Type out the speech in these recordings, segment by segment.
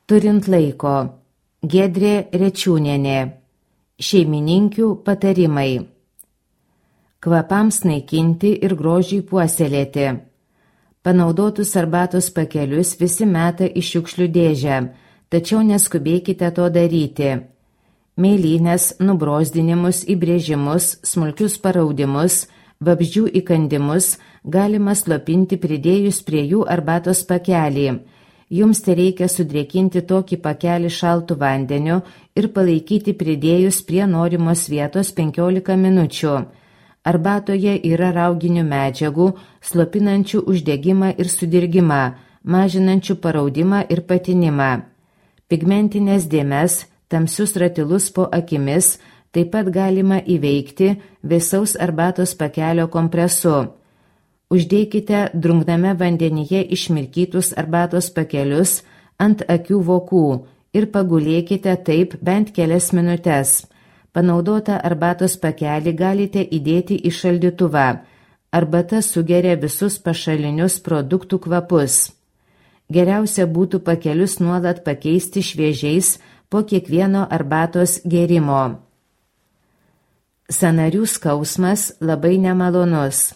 Turint laiko. Giedrė Rečiūnienė. Šeimininkių patarimai. Kvapams naikinti ir grožiui puoselėti. Panaudotus arbatos pakelius visi meta į šiukšlių dėžę, tačiau neskubėkite to daryti. Mėlynės, nubrozdinimus, įbrėžimus, smulkius paraudimus, vabzdžių įkandimus galima slopinti pridėjus prie jų arbatos pakelį. Jums tereikia sudrėkinti tokį pakelį šaltu vandeniu ir palaikyti pridėjus prie norimos vietos 15 minučių. Arbatoje yra rauginių medžiagų, slopinančių uždegimą ir sudirgimą, mažinančių paraudimą ir patinimą. Pigmentinės dėmes, tamsius ratilus po akimis taip pat galima įveikti vėsaus arbatos pakelio kompresu. Uždėkite drungname vandenyje išmirkytus arbatos pakelius ant akių vokų ir pagulėkite taip bent kelias minutes. Panaudotą arbatos pakelį galite įdėti į šaldytuvą. Arbata sugeria visus pašalinius produktų kvapus. Geriausia būtų pakelius nuolat pakeisti šviežiais po kiekvieno arbatos gėrimo. Sąnarių skausmas labai nemalonus.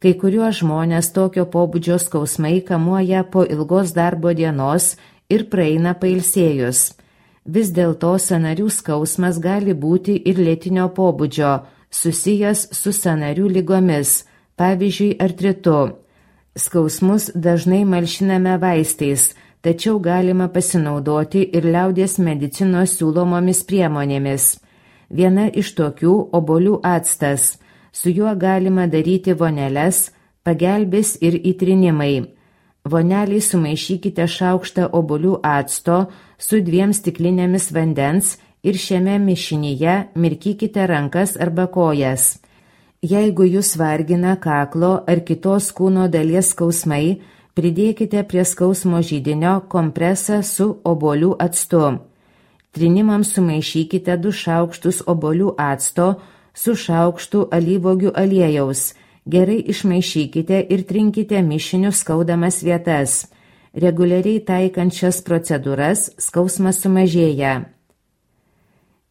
Kai kuriuos žmonės tokio pobūdžio skausmai kamuoja po ilgos darbo dienos ir praeina pailsėjus. Vis dėlto sąnarių skausmas gali būti ir lėtinio pobūdžio, susijęs su sąnarių ligomis, pavyzdžiui artritu. Skausmus dažnai malšiname vaistais, tačiau galima pasinaudoti ir liaudies medicinos siūlomomis priemonėmis. Viena iš tokių obuolių actas. Su juo galima daryti voneles, pagelbės ir įtrinimai. Voneliai sumaišykite šaukštą obuolių acto su 2 stiklinėmis vandens ir šiame mišinyje mirkykite rankas arba kojas. Jeigu jūs vargina kaklo ar kitos kūno dalies skausmai, pridėkite prie skausmo židinio kompresą su obuolių actu. Trinimams sumaišykite 2 šaukštus obuolių acto su šaukštu alyvuogių aliejaus. Gerai išmaišykite ir trinkite mišinius skaudamas vietas. Reguliariai taikant šias procedūras skausmas sumažėja.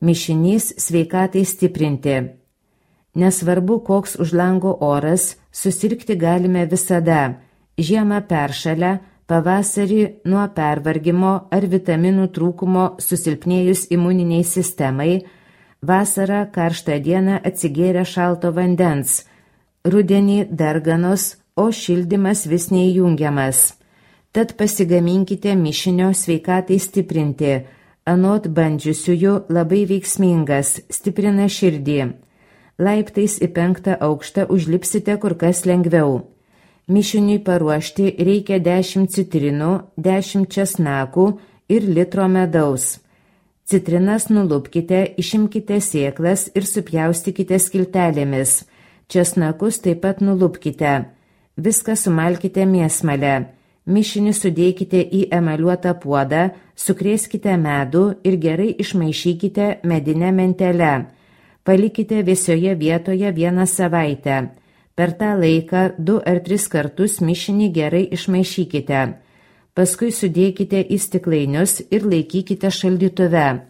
Mišinys sveikatai stiprinti. Nesvarbu, koks už lango oras, susirgti galime visada. Žiemą peršalę, pavasarį nuo pervargimo ar vitaminų trūkumo susilpnėjus imuniniai sistemai, vasarą karštą dieną atsigėrę šalto vandens, rudenį darganos, o šildymas vis neįjungiamas. Tad pasigaminkite mišinio sveikatai stiprinti, anot bandžiusiųjų labai veiksmingas, stiprina širdį. Laiptais į 5. aukštą užlipsite kur kas lengviau. Mišiniui paruošti reikia 10 citrinų, 10 česnakų ir litro medaus. Citrinas nulupkite, išimkite sėklas ir supjaustykite skiltelėmis. Česnakus taip pat nulupkite. Viską sumalkite mėsmalę. Mišinį sudėkite į emaliuotą puodą, sukrėskite medų ir gerai išmaišykite medinę mentelę. Palikite vėsioje vietoje 1 savaitę. Per tą laiką 2 ar 3 kartus mišinį gerai išmaišykite. Paskui sudėkite į stiklainius ir laikykite šaldytuve.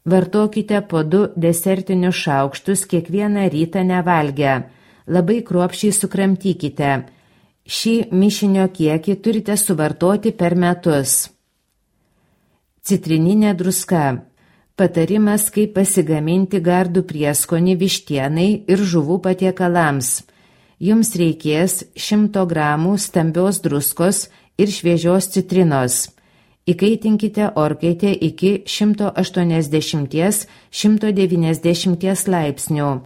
Vartokite po 2 desertinius šaukštus kiekvieną rytą nevalgę. Labai kruopščiai sukramtykite. Šį mišinio kiekį turite suvartoti per metus. Citrininė druska. Patarimas, kaip pasigaminti gardų prieskonį vištienai ir žuvų patiekalams. Jums reikės 100 gramų stambios druskos ir šviežios citrinos. Įkaitinkite orkaitę iki 180–190 laipsnių.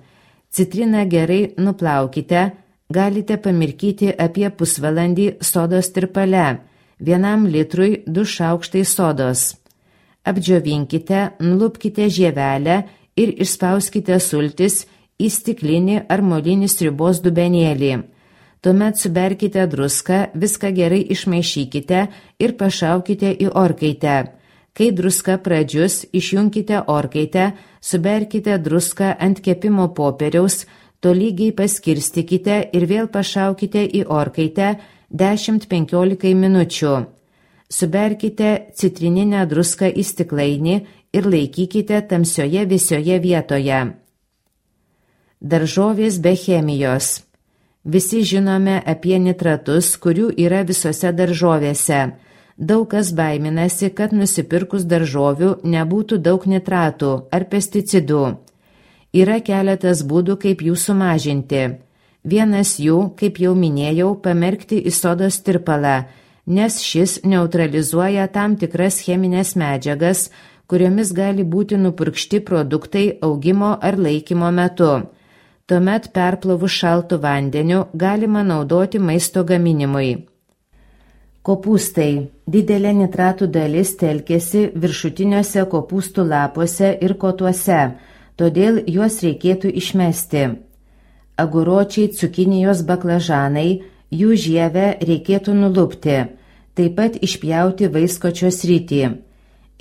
Citriną gerai nuplaukite, galite pamirkyti apie pusvalandį sodos tirpale, 1 litrui 2 šaukštai sodos. Apdžiovinkite, nulupkite žievelę ir išspauskite sultis į stiklinį ar molinį sriubos dubenėlį. Tuomet suberkite druską, viską gerai išmaišykite ir pašaukite į orkaitę. Kai druska pradžius, išjunkite orkaitę, suberkite druską ant kepimo popieriaus, tolygiai paskirstykite ir vėl pašaukite į orkaitę 10–15 minučių. Suberkite citrininę druską į stiklainį ir laikykite tamsioje vėsioje vietoje. Daržovės be chemijos. Visi žinome apie nitratus, kurių yra visose daržovėse. Daug kas baiminasi, kad nusipirkus daržovių nebūtų daug nitratų ar pesticidų. Yra keletas būdų, kaip jų sumažinti. Vienas jų, kaip jau minėjau, pamerkti į sodos tirpalą, nes šis neutralizuoja tam tikras cheminės medžiagas, kuriomis gali būti nupurkšti produktai augimo ar laikymo metu. Tuomet perplovus šaltu vandeniu galima naudoti maisto gaminimui. Kopūstai. Didelė nitratų dalis telkėsi viršutiniuose kopūstų lapuose ir kotuose, todėl juos reikėtų išmesti. Aguročiai, cukinijos, baklažanai, jų žievę reikėtų nulupti, taip pat išpjauti vaiskočio sritį.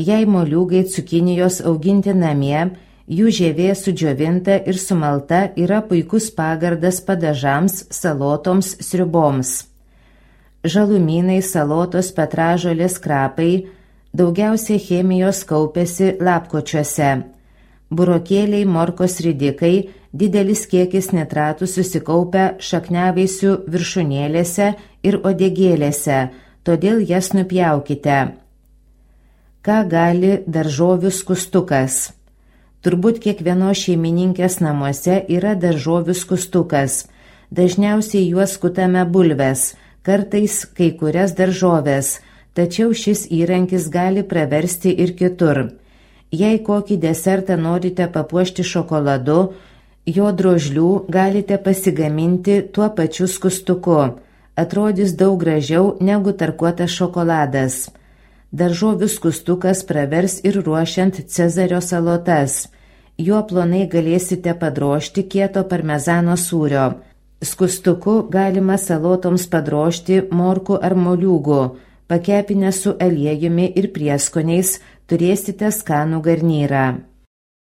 Jei moliūgai cukinijos auginti namie, jų žievė sudžiovinta ir sumalta yra puikus pagardas padažams, salotoms, sriuboms. Žalumynai, salotos, petražolės, krapai, daugiausiai chemijos kaupiasi lapkočiuose. Burokėliai, morkos ridikai, didelis kiekis nitratų susikaupia šakniavaisių viršūnėlėse ir odegėlėse, todėl jas nupjaukite. Ką gali daržovių skustukas? Turbūt kiekvienos šeimininkės namuose yra daržovių skustukas. Dažniausiai juos skutame bulves, kartais kai kurias daržoves, tačiau šis įrankis gali praversti ir kitur. Jei kokį desertą norite papuošti šokoladu, jo drožlių galite pasigaminti tuo pačiu skustuku. Atrodys daug gražiau negu tarkuotas šokoladas. Daržovių skustukas pravers ir ruošiant cezario salotas. Juo plonai galėsite padrožti kieto parmezano sūrio. Skustuku galima salotoms padrožti morkų ar moliūgų. Pakepinę su aliejumi ir prieskoniais turėsite skanų garnyrą.